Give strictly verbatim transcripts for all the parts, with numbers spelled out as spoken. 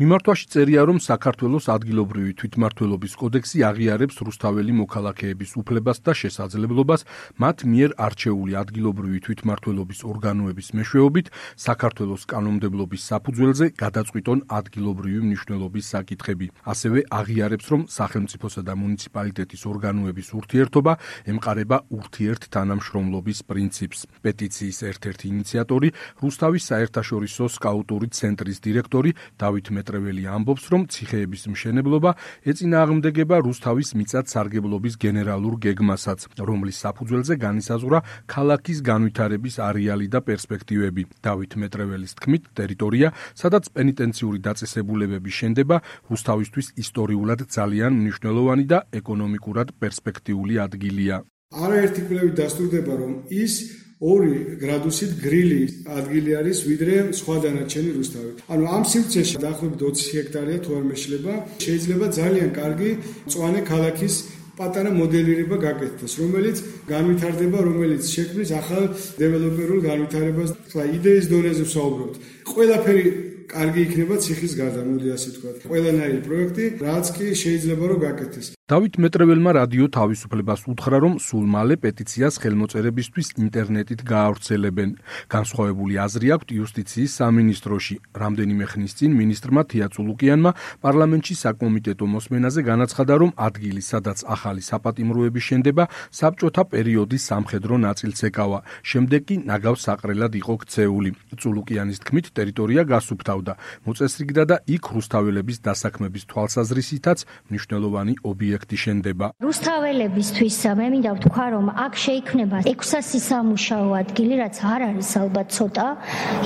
მიმართვაში წერია, რომ საქართველოს ადგილობრივი თვითმმართველობის კოდექსი აღიარებს რუსთაველი მოქალაქეების უფლებას და შესაძლებლობას მათ მიერ არჩეული ადგილობრივი თვითმმართველობის ორგანოების მეშვეობით საქართველოს კანონმდებლობის საფუძველზე გადაწყვიტონ ადგილობრივი მნიშვნელობის საკითხები. ასევე აღიარებს, რომ სახელმწიფოსა და მუნიციპალიტეტის ორგანოების ურთიერთობა ემყარება ურთიერთთანამშრომლობის პრინციპს. პეტიციის ერთ-ერთი ინიციატორი, რუსთავის საერთაშორისო სკაუტური ცენტრის დირექტორი დავით მეტრეველი ამბობს, რომ ციხეების მშენებლობა ეწინააღმდეგება რუსთავის მიწათ-სარგებლობის გენერალურ გეგმასაც, რომლის საფუძველზე განისაზღვრა ქალაქის განვითარების არეალი და პერსპექტივები. დავით მეტრეველის თქმით, ტერიტორია, სადაც პენიტენციური დაწესებულებები შენდება, რუსთავისთვის ისტორიულად ძალიან მნიშვნელოვანი და ეკონომიკურად პერსპექტიული ადგილია. არაერთი კვლევით დასტურდება, რომ ის ორი გრადუსით გრილი ადგილი არის, ვიდრე სხვა დანარჩენი რუსთავი. ანუ ამ სივრცეში დაახლოებით ოცი ჰექტარია თუ არ მეშლება, შეიძლება ძალიან კარგი მწვანე ქალაქის პატარა მოდელირება გაკეთდეს, რომელიც განვითარდება, რომელიც შექმნის ახალ დეველოპერულ განვითარებას. ხლა იდეის დონეზე ვსაუბრობთ. ყველაფერი კარგი იქნება ციხის გარდა, მოდი ასე ვთქვათ. ყველანაირი პროექტი, რაც კი შეიძლება რომ გაკეთდეს. დავით მეტრეველმა რადიო თავისუფლებას უთხრა, რომ სულ მალე პეტიციას ხელმოწერებისთვის ინტერნეტით გაავრცელებენ. განსხვავებული აზრი აქვთ იუსტიციის სამინისტროში. რამდენიმე ხნის წინ მინისტრმა თია წულუკიანმა პარლამენტში საკომიტეტო მოსმენაზე განაცხადა, რომ ადგილი, სადაც ახალი საპატიმროები შენდება, საბჭოთა პერიოდის სამხედრო ნაწილს ეკავა. შემდეგ კი ნაგავს საყრელად იყო ქცეული. წულუკიანის თქმით, ტერიტორია გასუფთავდა, მოწესრიგდა და იქ რუსთაველების დასაქმების თვალსაზრისითაც მნიშვნელოვანი ობიექტი შენდება. რუსთაველებისთვის მე მინდა ვთქვა, რომ აქ შეიქმნება ექვსასი სამუშაო ადგილი, რაც არ არის ალბათ ცოტა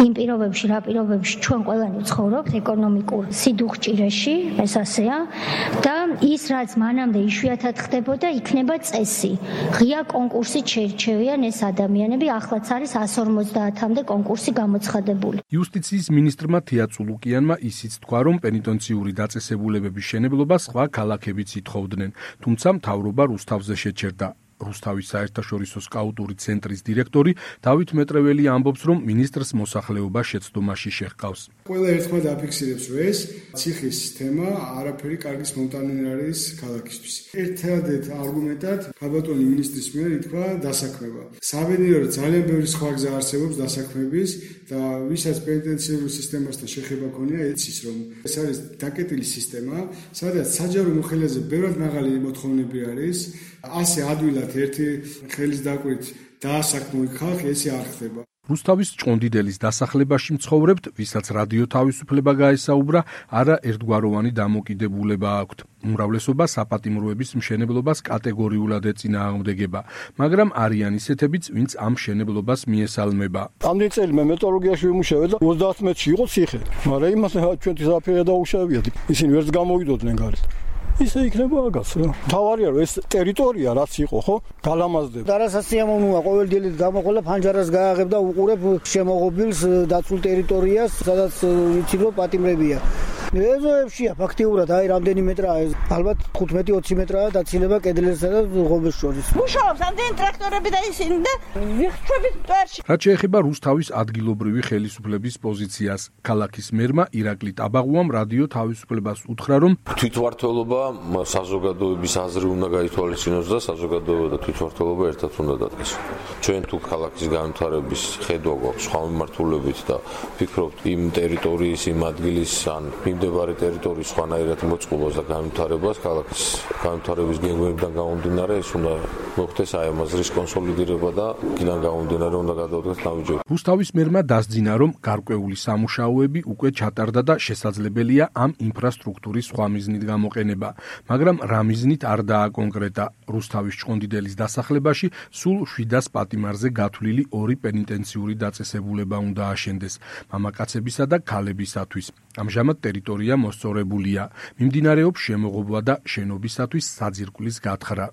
იმ პირობებში, რა პირობებში ჩვენ ყველანი ვცხოვრობთ ეკონომიკურ სიდუხჭირეში, ეს ასეა და ის რაც მანამდე იშვიათად ხდებოდა, იქნება წესი. ღია კონკურსით შეირჩევიან ეს ადამიანები, ახლაც არის εκατს ორმოცდაათამდე კონკურსი გამოცხადებული. იუსტიციის მინისტრმა თია წულუკიანმა ისიც თქვა, რომ პენიტენციური დაწესებულებების შენებლობა სხვა ქალაქებიც ითხოვდნენ. თუმცა მთავრობა რუსთავზე შეჩერდა. რუსთავის საერთაშორისო სკაუტური ცენტრის დირექტორი დავით მეტრეველი ამბობს, რომ მინისტრს მოსახლეობა შეცდომაში შეჰყავს. ყველა ერთხმად აფიქსირებს, რომ ეს ციხის თემა არაფერი კარგის მომტანი არ არის ქალაქისთვის. ერთადერთ არგუმენტად ქაბატონი ministris მიერ ითქვა დასაქმება. საბედნიეროდ ძალიან ბევრი სხვა გზა არსებობს დასაქმების და ვისაც პენიტენციური სისტემასთან შეხება ქონია, იცის, რომ ეს არის დაკეტილი სისტემა, სადაც საჯარო მოხელეზე ბევრად მაღალი მოთხოვნები არის. ასე ადვილად ერთი ხელის დაკვირით დაასაქმო ხალხი, ესე არ ხდება. რუსთავის ჭყონდიდელის დასახლებაში მცხოვრებთ, ვისაც რადიო თავისუფლება გაესაუბრა, არა ერთგვაროვანი დამოკიდებულება აქვთ. უმრავლესობა საპატიმროების მშენებლობას კატეგორიულად ეწინააღმდეგება, მაგრამ არიან ისეთებიც, ვინც ამ მშენებლობას მიესალმება. ამდენი წელი მე მეტალურგიაში ვიმუშავე და ოცდაათ მეტრში იყო ციხე, მაგრამ იმას ჩვენი ზაფხულია დაუშავიათ. ისინი ვერც გამოვიდოდნენ გარეთ. ისე იქნება აგას რა. თავარია რომ ეს ტერიტორია რაც იყო, ხო? გალამაზდება. და რასაც სიამოვნოა ყოველ დილით გამოყოლა ფანჯარას გააღებ და უყურებ შემოღობილს დაცულ ტერიტორიას, სადაც იცი რომ პატიმრებია. ეზოებშია ფაქტიურად, აი რამდენი მეტრაა ეს? ალბათ ხუთმეტი ოცი მეტრაა დაცილება კედლისა და ღობეს შორის. მუშაობს ამდენი ტრაქტორები და ისინი და ვიხჩვებით მტვერში. რაც შეეხება რუსთავის ადგილობრივი ხელისუფლების პოზიციას, ქალაქის მერმა ირაკლი ტაბაღუამ რადიო თავისუფლებას უთხრა, რომ თვითმმართველობა საზოგადოების აზრი უნდა გაითვალისწინოს და საზოგადოება და თვითმმართველობა ერთად უნდა დადგეს. ჩვენ თუ ქალაქის განვითარების ხედვა გვაქვს სხვა მიმართულებით და ვფიქრობთ იმ ტერიტორიის, იმ ადგილის ან მიმდებარე ტერიტორიის სხვანაირად მოწყობას და განვითარებას, ქალაქის განვითარების გეგმებიდან გამომდინარე, ეს უნდა მოხდეს აი ამ აზრის კონსოლიდირება და იქიდან გამომდინარე უნდა გადავდგეთ ნაბიჯები. რუსთავის მერმა დასძინა, რომ გარკვეული სამუშაოები უკვე ჩატარდა და შესაძლებელია ამ ინფრასტრუქტურის სხვა მიზნით გამოყენება. მაგრამ რა მიზნით არ დააკონკრეტა. რუსთავის ჭყონდიდელის დასახლებაში სულ შვიდას პატიმარზე გათვლილი ორი პენიტენციური დაწესებულება უნდა აშენდეს მამაკაცებისა და ქალებისათვის. ამჟამად ტერიტორია მოსწორებულია. მიმდინარეობს შემოღობა და შენობისათვის საძირკვლის გათხრა.